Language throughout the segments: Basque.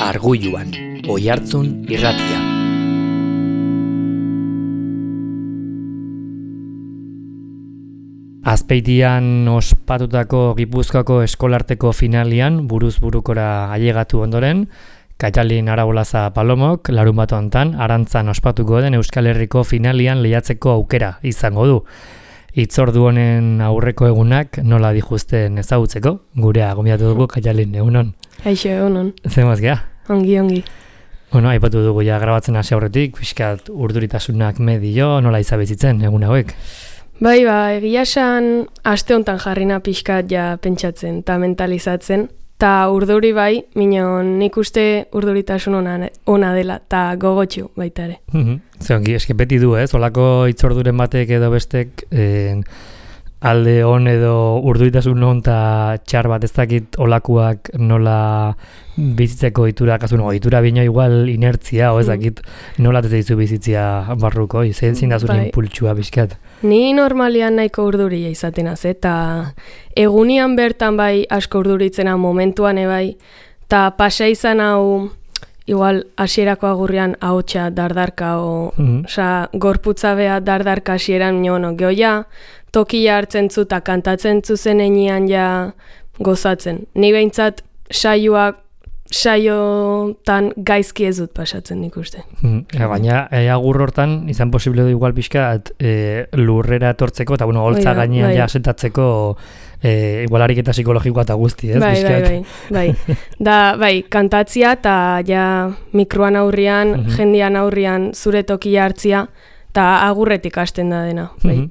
Argulluan, Oihartzun irratia. Azpeitian ospatutako Gipuzkoako eskolarteko finalian buruz burukora ailegatu ondoren, Kaitalin Arabolaza Palomok larunbat hontan Arantzan ospatuko den Euskal Herriko finalian lehiatzeko aukera izango du. Hitzordu honen aurreko egunak nola dijuzten ezagutzeko, gurea gonbidatu dugu Kaitalin, egunon. Aixo, egunon. Zemaz gea? Ongi. Bueno, aipatu dugu ja grabatzen hasi aurretik, pixkat urduritasunak medio, nola izabizitzen egun hauek? Bai, egia esan aste hontan jarrina pixkat ja pentsatzen eta mentalizatzen, ta urduri bai, minon nik uste urduritasun ona dela, ta gogotxu baita ere. Zeongi, eske beti du, olako hitzorduren batek edo bestek alde on edo urduritasun on eta txar bat ez dakit olakuak nola bizitzeko itura, itura bino igual inertzia, o ez dakit nola teteizu bizitzia barruko, zein da zure impultsua bizkat. Ni normalian nahiko urduria izaten az, eta egunian bertan bai asko urduritzena momentuan ebai, eta pasa izan hau igual hasierako agurrian ahotsa dardarka, gorputza beha dardarka hasieran gehoia, tokia hartzen zu eta kantatzen zu zenean ja gozatzen. Ni behintzat saiotan gaizki ez dut pasatzen nik uste. Baina agur hortan izan posible du igual pixka lurrera etortzeko eta holtza gainean ja sentatzeko igual ariketa psikologikoa eta guzti, ez? Bai. Bai, kantatzia eta ja mikroan aurrian, jendian aurrian zure tokia hartzia eta agurretik hasten da dena, bai.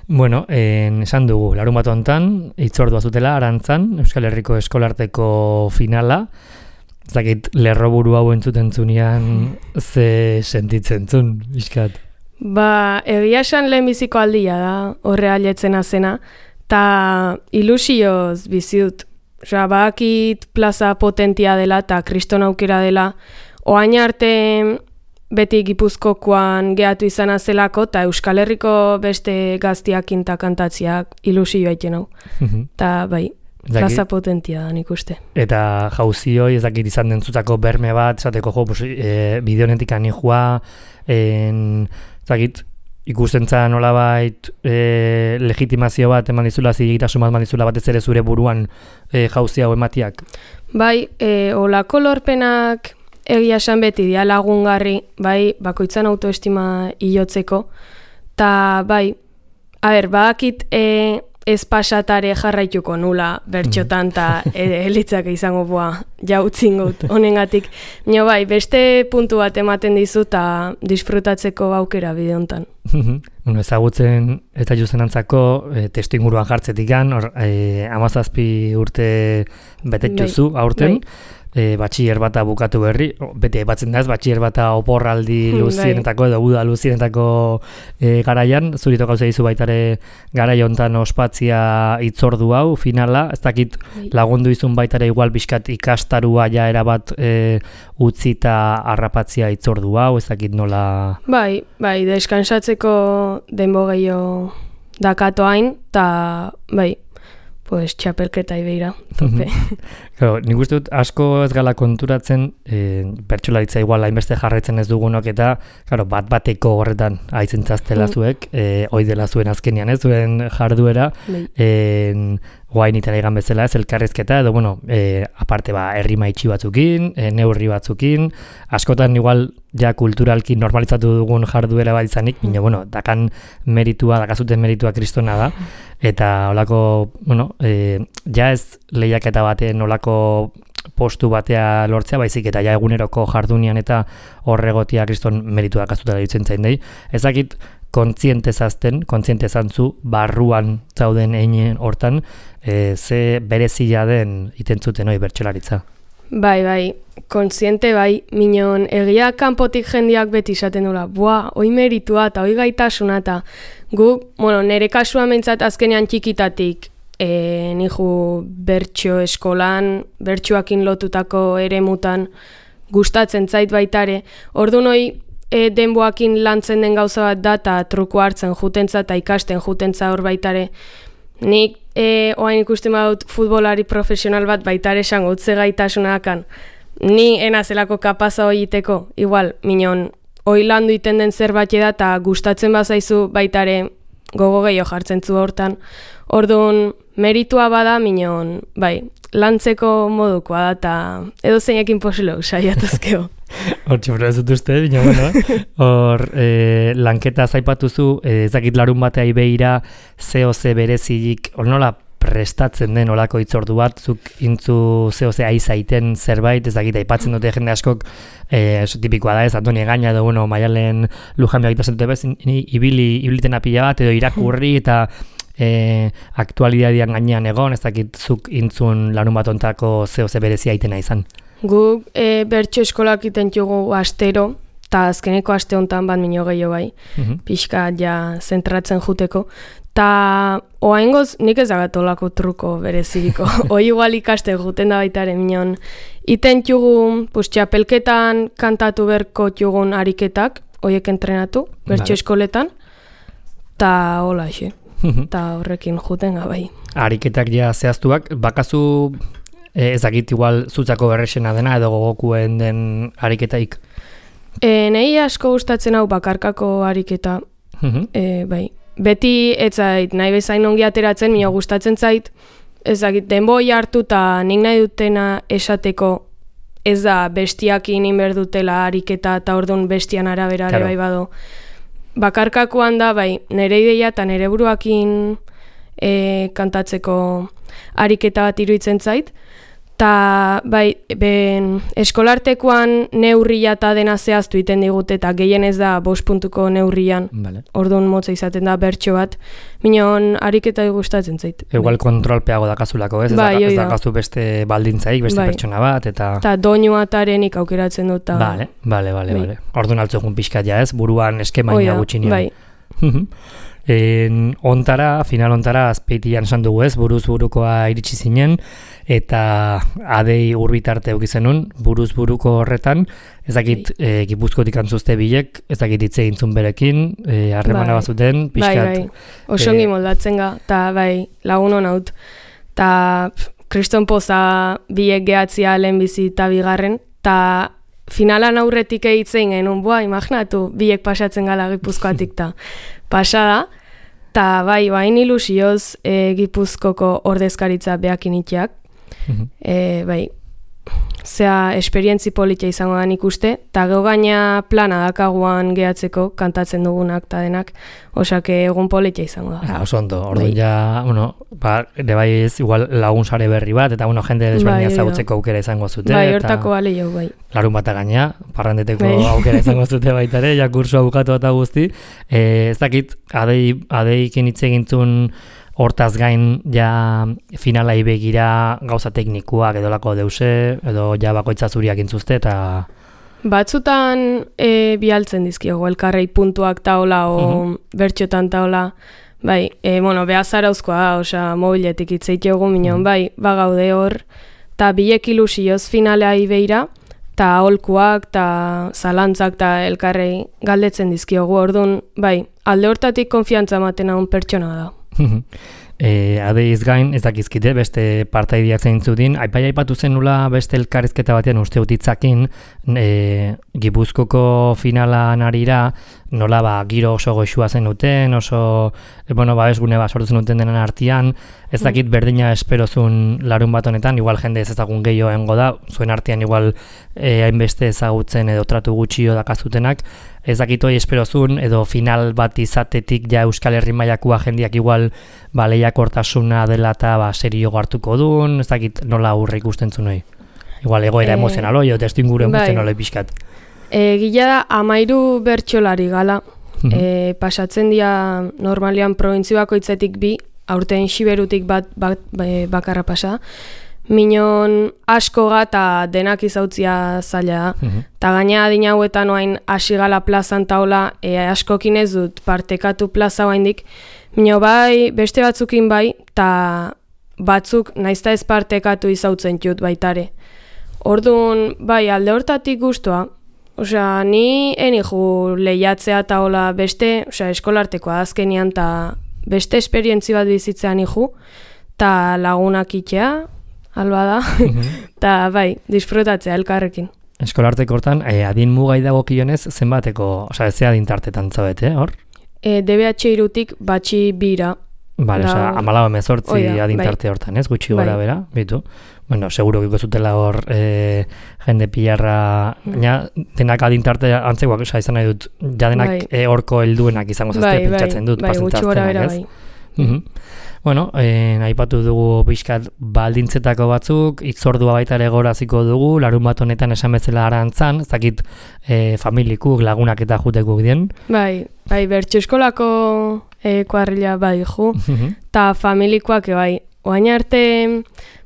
Bueno, esan dugu, larunbat hontan, hitzordua zutela Arantzan, Euskal Herriko eskolarteko finala. Zakit, lerroburu hau entzuten zunean ze sentitzen zun, bizkat? Egia esan lehenbiziko aldia da, horre aletzen azena, eta ilusioz biziut. Bakit plaza potentia dela eta kriston aukera dela, oain arte beti Gipuzkokoan gehatu izan azelako, eta Euskal Herriko beste gaztiakin eta kantatziak ilusioa iten hau. Eta bai, plaza potentia da nik uste. Eta jauzioi ezakit izan dentzutako berme bat, esateko bideonetik anijua, ikusten zan nolabait legitimazio bat eman dizula, zigitasun bat eman dizula batez ere zure buruan jauzi hau ematiak? Bai, olako lorpenak egia esan beti dia lagungarri, bai, bakoitzan autoestima hilotzeko, eta bai, bakit ez pasatare jarraituko nula bertxotan eta elitzak izango jautzin gut honengatik. Bai, beste puntu bat ematen dizu eta disfrutatzeko aukera bide hontan. Ezagutzen eta juzenantzako testu inguruan jartzetikan, 17 urte betetxuzu aurten, batxiler bata bukatu berri, beti aipatzen da ez, batxiler bata oporraldi luzienetako edo uda luzienetako garaian, zurito gauza dizu baitare garai hontan ospatzia hitzordu hau, finala, ez dakit lagundu izun baitare igual bizkat ikastarua ja erabat utzi eta harrapatzia hitzordu hau, ez dakit nola... Bai, deskansatzeko denbo gehiago dakato hain, eta bai, pues txapelketa ibeira, tope. Nik uste dut asko ez gala konturatzen, bertsolaritza igual hainbeste jarraitzen ez dugunok eta bat-bateko horretan aizentzaztela zuek, hoi dela zuen azkenian ez, zuen jarduera, guain itan egan bezala ez, elkarrezketa, edo aparte herri maitxi batzukin, neurri batzukin, askotan igual ja kulturalki normalizatu dugun jarduera bat izanik, dakan meritua, dakazuten meritua kristona da, eta holako, ja ez lehiaketa batean olako postu batea lortzea, baizik eta ja eguneroko jardunian eta horregotia kriston meritua dakazuta ditzen zain dei. Ezakit kontziente zantzu, barruan zauden einen hortan, ze berezia den itentzuten hori bertsolaritza. Bai, kontziente bai, minon egia kanpotik jendiak beti izaten dula, hoi meritua eta hoi gaitasuna eta gu, nire kasuan mentzat azkenean txikitatik niju bertso eskolan, bertsoakin lotutako eremutan gustatzen zait baitare. Ordu noi denboakin lantzen den gauza bat da eta truko hartzen jutentza eta ikasten jutentza hor baitare. Nik oain ikusten badut futbolari profesional bat baitare esango utze gaitasunakan. ni enazelako kapaza hoiteko, igual, minon, hoi landu iten den zerbait da, eta gustatzen bazaizu baitare gogo gehiago jartzen zu hortan. Orduan, meritua bada, minon, bai, lantzeko modukoa da, eta edo zeinekin posilo, saiatuzkeo. Hortxe, ez dut uste, bina, bueno, hor, lanketa zaipatuzu, ezakit larun batea ibeira, COC berezilik, hor nola prestatzen den olako itzordu bat, zuk intzu COC aizaiten zerbait, ezakit aipatzen dute jende askok, tipikoa da ez, Antoni Egaña edo, bueno, Maialen Lujanbia egiten dute bez, ibiliten apila bat, edo irakurri, eta aktualitatean gainean egon, ezakit zuk intzun larun bat ontako COC berezia aitena izan. Guk bertso eskolak iten jugu astero, eta azkeneko aste honetan bat minio gehiago bai, pixka ja zentratzen juteko. Ta oaingoz nik ez dagatolako truko bereziriko. Hoi igual ikaste juten da baita ere minon. Iten jugu, txapelketan kantatu berko jugun ariketak, hoiek entrenatu, bertso eskoletan, ta hola xe. Ta horrekin juten bai. Ariketak ja zehaztuak, bakazu ezakit igual zutzako berrexena dena edo gogokuen den ariketaik? Nei asko gustatzen hau bakarkako ariketa, bai. Beti etzait nahi bezain ongi ateratzen, mino gustatzen zait, ezakit denboi hartu eta nik nahi dutena esateko ez da bestiakin inberdutela ariketa eta orduan bestian arabera ere bai bado. Bakarkakoan da, bai, nire ideia eta nire buruakin kantatzeko ariketa bat iruditzen zait. Ta, bai, eskolartekoan neurria eta dena zehaztu iten digute eta gehien ez da 5 puntuko neurrian. Vale. Orduan motza izaten da bertso bat. Minon ariketa gustatzen zait. Igual kontrolpeago dakazulako, ez? Bai, ez dakazu beste baldintzaik, beste pertsona bat, eta... Eta doinuatarenik aukeratzen dut. Bale. Orduan altzugun pixkat ja, ez? Buruan eskemaina gutxinean. Bai. Final ontara azpeitian esan dugu ez, buruz burukoa iritsi zinen, eta adei urbitarte eukizenun, buruz buruko horretan, ezakit Gipuzkotik antzuzte bilek, ezakit hitze egintzun berekin, harremana bazuten, pixkat. Bai, osongi moldatzen ga, eta bai, lagun hon haut, eta kriston poza bilek gehatzia lehenbizi eta bigarren, eta finalan aurretik egitzen genuen, imaginatu, bilek pasatzen gala Gipuzkoatik, eta pasada, eta bai, bain ilusioz Gipuzkoko ordezkaritza behakin itxeak. Bai, zea esperientzi politia izango da ikuste, eta gau gaina plana dakaguan gehatzeko kantatzen dugunak eta denak, osak egun politia izango da. Oso ondo, orduan ja, ere bai ez igual lagun sare berri bat, eta jende desberdina zagutzeko aukera izango zute. Bai, hortako bale jau, bai. Larun bata gaina, parrandeteko aukera izango zute baitare, ja kursua bukatu eta guzti. Ez dakit, adeikin hitz egintzun hortaz gain ja finalai begira gauza teknikoak edolako deuse, edo ja bakoitza zuriak intzuzte, eta... Batzutan bialtzen dizkiogu, elkarrei puntuak taola o bertxotan taola, bai, behazara uzkoa da, osa mobiletik itzeitiogu minon, bai, bagaude hor, eta bilek ilusioz finalea ibeira, eta aholkuak, eta zalantzak, eta elkarrei galdetzen dizkiogu, orduan, bai, alde hortatik konfiantza ematen hau pertsona da. Adeiz gain, ez dakizkite, beste partaideak zeintzudin, aipatu zen nula beste elkarrizketa batean uste utitzakin, Gipuzkoko finalan arira, nola giro oso goxua zen duten, oso, babesgune sortzen duten denen artean, ez dakit berdina esperozun larun bat honetan, igual jende ez ezagun gehiago engo da, zuen artean igual hainbeste ezagutzen edo tratu gutxio dakazutenak, ez dakit hori esperozun, edo final bat izatetik ja Euskal Herri mailakoa jendiak igual lehiakortasuna dela eta serio hartuko duen, ez dakit nola aurre ikusten zuen hori. Igual egoera emozionalo, jo testu inguru emozionalo pixkat. Gila da, 13 bertsolari gala, pasatzen dira normalian provintzio bakoitzetik 2, aurten Xiberutik bakarra pasa, minon asko eta denak izautzia zaila da. Ta gaina adina hauetan oain hasi gala plazan taola, askokin ez dut partekatu plaza oaindik, mino bai, beste batzukin bai, eta batzuk naizta ez partekatu izautzen jut baitare. Orduan, bai, alde hortatik guztua, osea, ni enigu lehiatzea eta hola beste, osea, eskolartekoa azkenian eta beste esperientzi bat bizitzean nigu, eta lagunak itxea, alba da, eta bai, disfrutatzea elkarrekin. Eskolarteko hortan, adin mugai dagokionez, zenbateko, osea, ez adin tartetan zaudete, hor? DBH irutik batxi bira. Bale, osea, 14-18 adin tarte hortan, ez? Gutxi gora bera, bitu. Bueno, seguro que zutela hor jende pilarra, denak adin tarte antzekoak, osea, izan nahi dut, ja denak horko helduenak izango zazte pentsatzen dut, pasentzaztenak, ez? Bueno, aipatu dugu pixkat baldintzetako batzuk, itzordua baita ere goraziko dugu, larun bat honetan esan bezala arantzan, ez dakit familikuk, lagunak eta jutekuk dien. Bai, bertso eskolako kuadrilla bai ju, eta familikoak bai, oain arte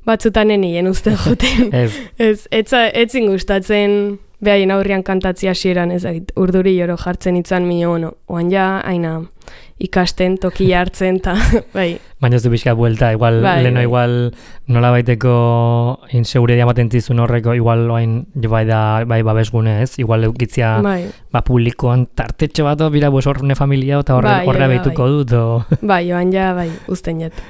batzutan nenien uste juten. Etzin gustatzen behaien aurrian kantatzi hasieran, ez dakit, urduri joro jartzen itzan mino, oain ja, aina ikasten, tokia hartzen, eta bai. Baina ez du pixka buelta, igual, leno igual nola baiteko inseguredia ematen zizun horreko, igual bai babesgune ez, igual eukitzia publikoan tartetxo bat, bira bus horne familia, eta horre behituko dut. Bai, joan ja, bai, usten jet.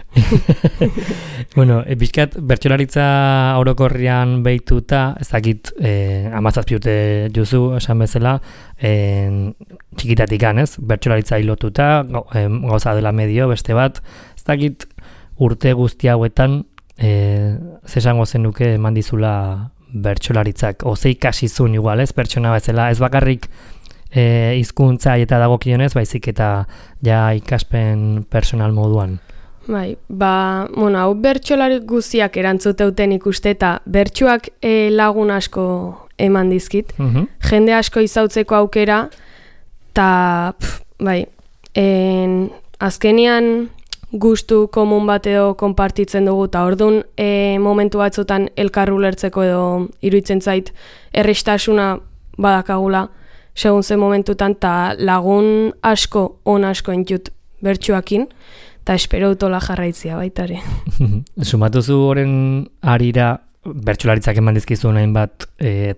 Bueno, pixkat, bertsolaritza orokorrian behituta, ez dakit, 17 urte juzu, esan bezala, txikitatik ez, bertsolaritza hilotuta, gauza dela medio, beste bat, ez dakit urte guzti hauetan zesango zenuke eman dizula bertsolaritzak, oze ikasizun igual, ez, pertsona bezala, ez bakarrik hizkuntza eta dagokionez, baizik eta ja ikaspen personal moduan. Bai, hau bertsolari guztiak erantzuteuten ikuste eta bertsuak lagun asko eman dizkit, jende asko izautzeko aukera, eta bai, azkenian gustu komun bat edo konpartitzen dugu, eta orduan momentu batzutan elkarru lertzeko edo iruditzen zait errestasuna badakagula segun zen momentutan, eta lagun asko, on asko entjut bertsuakin, eta espero utola jarraitzia baitare. Sumatuzu horren arira, bertsolaritzak eman dizkizu nahin bat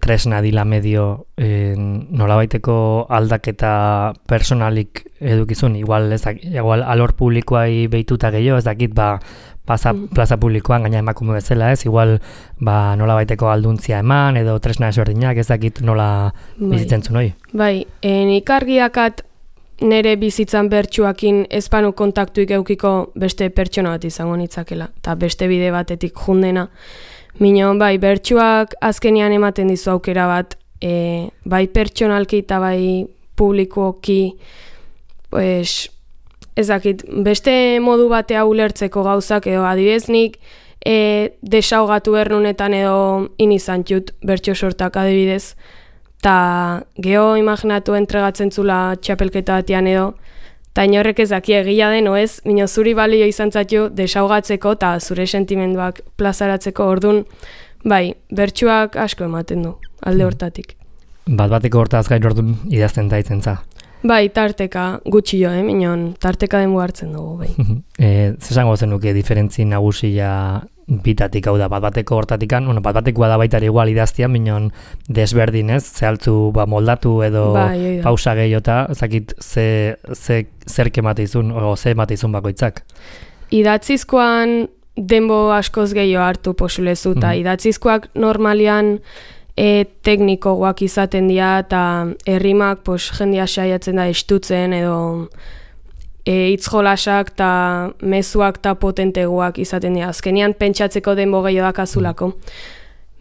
tresna dila medio nolabaiteko aldaketa personalik edukizun, igual alor publikoai behituta gehiago, ez dakit plaza publikoan gaina emakume bezala ez, igual nolabaiteko alduntzia eman edo tresna ezberdinak, ez dakit nola bizitzen zuen hori. Bai, ikargiakat nere bizitzan bertsuakin ezpanu kontaktuik eukiko beste pertsona bat izango nitzakela, eta beste bide batetik jundena. Mino, bai, bertsuak azkenean ematen dizu aukera bat, bai pertsonalki eta bai publikoki, ezakit, beste modu batea ulertzeko gauzak edo adibideznik, desaugatu ernunetan edo inizantxut bertso sortak adibidez, eta geho imaginatu entregatzen zula txapelketa batean edo, eta inorrek ez daki egia den, oez, mino zuri balio izan zatu desaugatzeko eta zure sentimenduak plazaratzeko ordun, bai, bertsuak asko ematen du, alde hortatik. Bateko hortaz gain ordun idazten daitzen za? Bai, tarteka gutxi jo, minon, tarteka denbo hartzen dugu, bai. Zesango zenuke diferentzi nagusia bitatik, hau da, bateko hortatikan, batekoa da baita igual idaztian, minon desberdin ez, zehaltzu moldatu edo pausa gehiota, ezakit zer kematizun, o ze ematizun bakoitzak. Idatzizkoan denbo askoz gehiago hartu posulezu, eta idatzizkoak normalian teknikoak izaten dira, eta errimak jendia saiatzen da estutzen edo hitzjolasak eta mezuak eta potenteguak izaten dira. Azkenean pentsatzeko denbo gehiago dakazulako.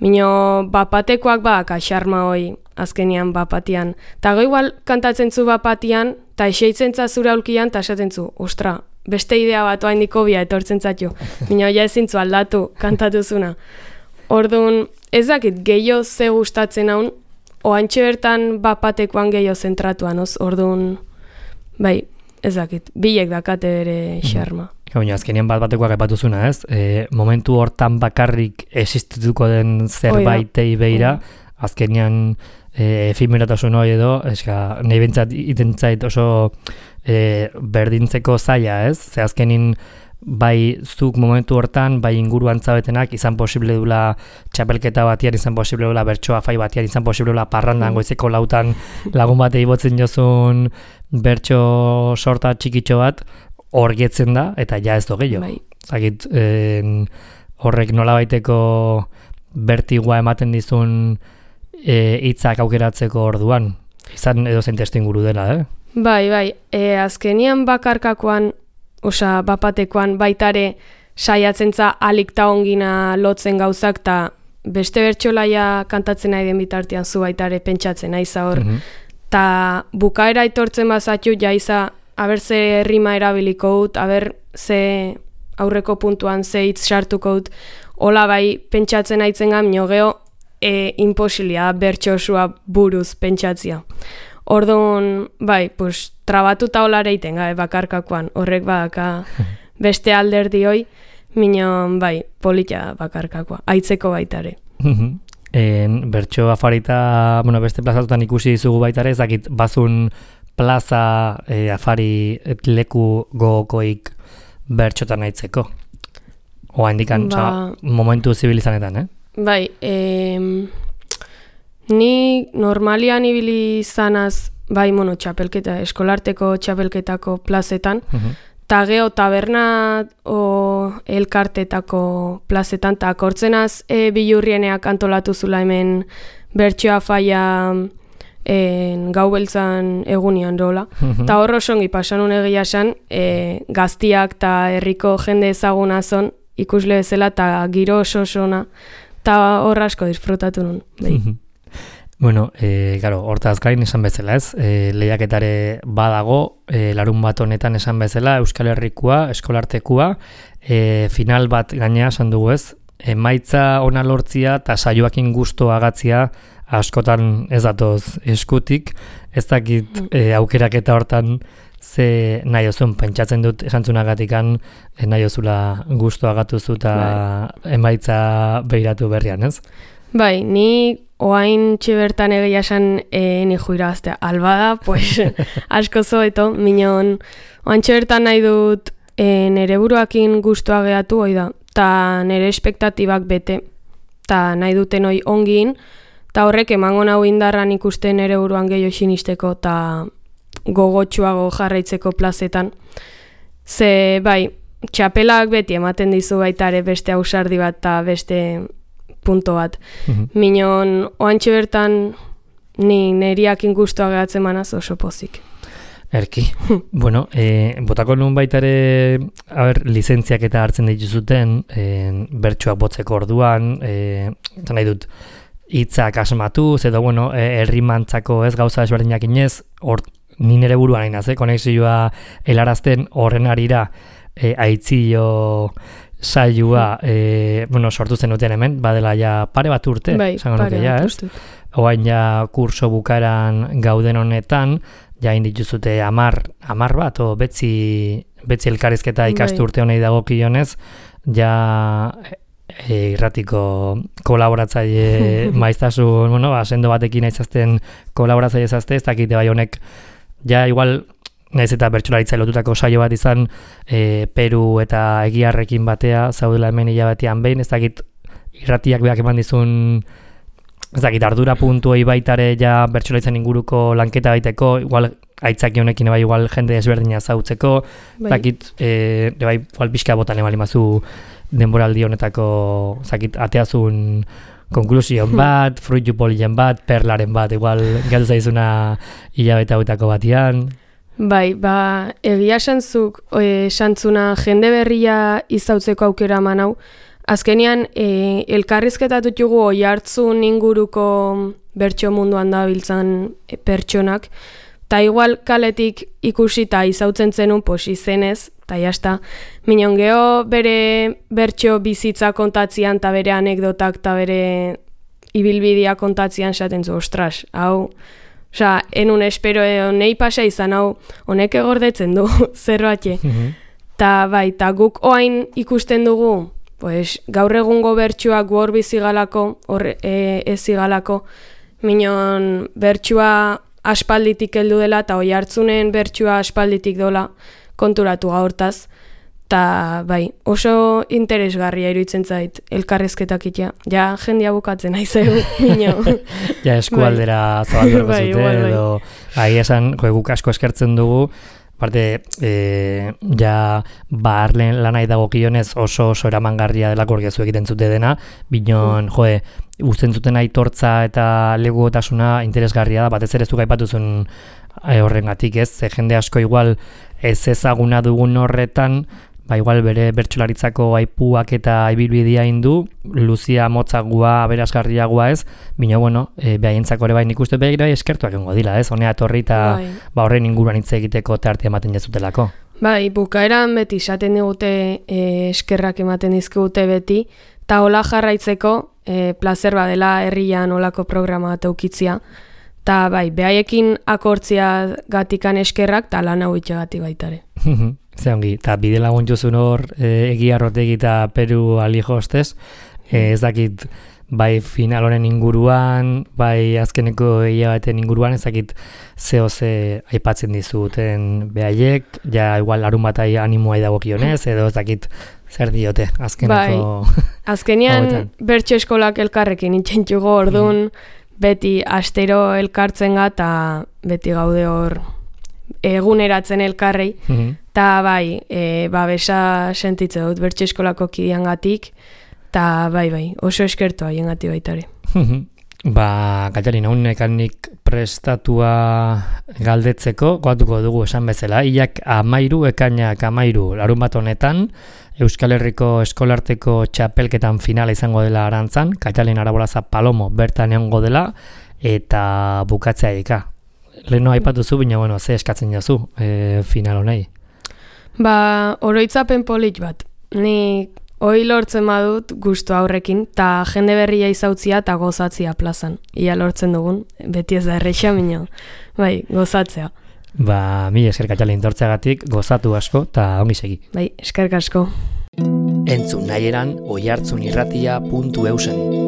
Mino, bapatekoak xarma hoi azkenean bapatian. Ta igual kantatzen zu bapatian, eta eseitzen zazura aulkian, eta esaten zu, ostra, beste idea bat oain dikobia etortzen zatio. Mino, ja ezin zu aldatu kantatuzuna. Orduan, ez dakit gehiago ze gustatzen haun, oantxe bertan bapatekoan gehiago zentratuan, orduan, bai, ez dakit, bilek dakate bere xarma. Baina, azkenean batekoak aipatuzuna, ez? Momentu hortan bakarrik existituko den zerbaitei beira, azkenean efemeratasun hori edo, nahi bentsat itentzait oso berdintzeko zaila, ez? Ze azkenin bai zuk momentu hortan, bai inguruan zabetenak, izan posible dula txapelketa batian, izan posible dula bertsoa fai batian, izan posible dula parrandan goizeko lautan lagun batei botzen jozun bertso sorta txikitxo bat, hor getzen da, eta ja ez do gehiago. Zagit, horrek nolabaiteko bertigoa ematen dizun hitzak aukeratzeko orduan, izan edo zein testuinguru dela, Bai, azkenian bakarkakoan, bapatekoan baitare saiatzen za alik ta ongina lotzen gauzak, ta beste bertsolaia kantatzen nahi den bitartean zu baitare pentsatzen aiza hor. Ta bukaera itortzen bazatxu jaiza, aber ze rima erabiliko dut, aber ze aurreko puntuan ze hitz sartuko dut, hola bai pentsatzen aitzen gamino geho, imposilia bertxosua buruz pentsatzia. Orduan, bai, trabatuta hola reiten gabe bakarkakoan, horrek badaka beste alderdi hoi, minon, bai, politia bakarkakoa, aitzeko baitare. Bertxo afarita, beste plazatutan ikusi dizugu baitare, ezakit bazun plaza afari leku gogokoik bertxotan aitzeko. Oa indikan, momentu zibilizanetan, Bai, ni normalian ibili zanaz, bai, txapelketa, eskolarteko txapelketako plazetan, ta geho taberna o elkartetako plazetan, ta akortzenaz bilurrieneak antolatu zula hemen bertsoa faia gau beltzan egunian rola. Ta horro songi pasanun egia esan, gaztiak ta herriko jende ezaguna zon, ikusle bezala, ta giro oso sona, ta horra asko disfrutatu nun. Hortaz gain esan bezala ez, lehiaketare badago, larun bat honetan esan bezala, Euskal Herrikoa, eskolartekua, final bat gainea esan dugu ez, emaitza ona lortzia eta saioakin gusto agatzia askotan ez datoz eskutik, ez dakit aukeraketa hortan ze nahi ozun, pentsatzen dut esantzunagatikan nahi ozula gusto agatuzu eta emaitza behiratu berrian, ez? Bai, ni oain txibertan egia esan ni juiraztea. Albada, asko zoeto, minon oain txibertan nahi dut nere buruakin gustoa gehatu hoi da, ta nere espektatibak bete, ta nahi duten hoi ongin, ta horrek emango nahu indarran ikusten nere buruan gehiago sinisteko, ta gogotsuago jarraitzeko plazetan. Ze, bai, txapelak beti ematen dizu baitare beste ausardi bat eta beste punto bat. Minon, oantxe bertan ni neriakin guztua gehatzen manaz oso pozik. Erki. Botako nun baitare lizentziak eta hartzen dituzuten bertsoak botzeko orduan, nahi dut, hitzak asmatu, edo herrimantzako ez gauza ezberdinak inez, ni nere buruan hainaz, konexioa helarazten horren arira aitzio saioa sortu zenuten hemen, badela ja pare bat urte, esango nuke ja, ez? Oain ja kurso bukaran gauden honetan, ja indituzute 10 bat, o betzi elkarrizketa ikastu urte honei dagokionez, ja irratiko kolaboratzaile maiztasun, sendo batekin aizazten kolaboratzaile zazte, ez dakite bai honek, ja igual, naiz eta bertsolaritza lotutako saio bat izan, Peru eta Egiarrekin batea, zaudela hemen hilabetean behin, ez dakit irratiak beak eman dizun, ez dakit ardura puntuei baitare ja bertsolaritzan inguruko lanketa baiteko, igual aitzaki honekin bai igual jende desberdina zautzeko, ez dakit, bai igual pixka botan emalimazu denboraldi honetako, ez dakit, ateazun konklusion bat, fruitu polien bat, perlaren bat, igual gatu zaizuna hilabete hauetako batian. Bai, egia esantzuk esantzuna jende berria izautzeko aukera eman hau. Azkenean, elkarrizketatu jugu oihartzun inguruko bertso munduan da biltzan pertsonak, eta igual kaletik ikusi eta izautzen zenun izenez, eta jazta, minon geho bere bertso bizitza kontatzian eta bere anekdotak eta bere ibilbidea kontatzian esaten zu, ostras, hau, enun espero nei pasa izan hau, honek egordetzen du, zerbatxe. Ta bai, ta guk oain ikusten dugu, gaur egungo bertsuak hor bizigalako, hor ezigalako, minon bertsua aspalditik heldu dela, eta oi hartzunen bertsua aspalditik dola konturatu gaurtaz. Ta bai, oso interesgarria iruditzen zait elkarrezketak itea. Ja, jendia bukatzen aizeu, minio. Ja, eskualdera zabalduko zute, edo ahi esan, guk asko eskertzen dugu, Aparte, ja barlen lanai dagokionez oso eramangarria delako orgezu egiten zute dena, binon, uzten zuten aitortza eta legotasuna interesgarria da, batez ere zuk aipatuzun horrengatik ez, jende asko igual ez ezaguna dugun horretan, igual bere bertsolaritzako aipuak eta ibilbidea indu, luzia motzagua, aberasgarriagoa ez, bino, behaientzako ere nik uste behar eskertuak egongo dila ez, honea torri eta horren inguruan hitz egiteko tartea ematen jazutelako. Bukaeran beti esaten digute eskerrak ematen dizkigute beti, eta hola jarraitzeko plazer badela herrian olako programa bat eukitzia, eta behaiekin akortzia gatikan eskerrak, eta lan hau itxagati baitare. Ze ongi, eta bide lagun jozun hor Egia Arrotegi eta Peru Alijo ostez, ez dakit bai final honen inguruan, bai azkeneko hilabaten inguruan, ez dakit ze aipatzen dizuten behaiek, ja igual larun bat animoa dagokionez, edo ez dakit zer diote azkeneko... Azkenean bertso eskolak elkarrekin itxentxugo orduan, beti astero elkartzen eta beti gaude hor eguneratzen elkarrei, eta babesa sentitze dut bertso eskolako kideangatik, eta oso eskertu haiengati baitare. Katalin, nik prestatua galdetzeko, goatuko dugu esan bezala, hilak 13, ekainak 13, larun bat honetan, Euskal Herriko eskolarteko txapelketan finala izango dela Arantzan, Katalin Arabolaza Palomo bertan egongo dela, eta bukatzea eka. Leheno aipatuzu, baina, ze eskatzen jazu final honei? Oroitzapen polit bat. Ni hoi lortzen badut gustu aurrekin, eta jende berria izautzia eta gozatzia plazan. Ia lortzen dugun, beti ez da erreixa, baina, gozatzea. Mila esker Katalin tortzeagatik, gozatu asko, eta ongi segi. Eskerrik asko. Entzun nahi eran, oihartzunirratia.eusen.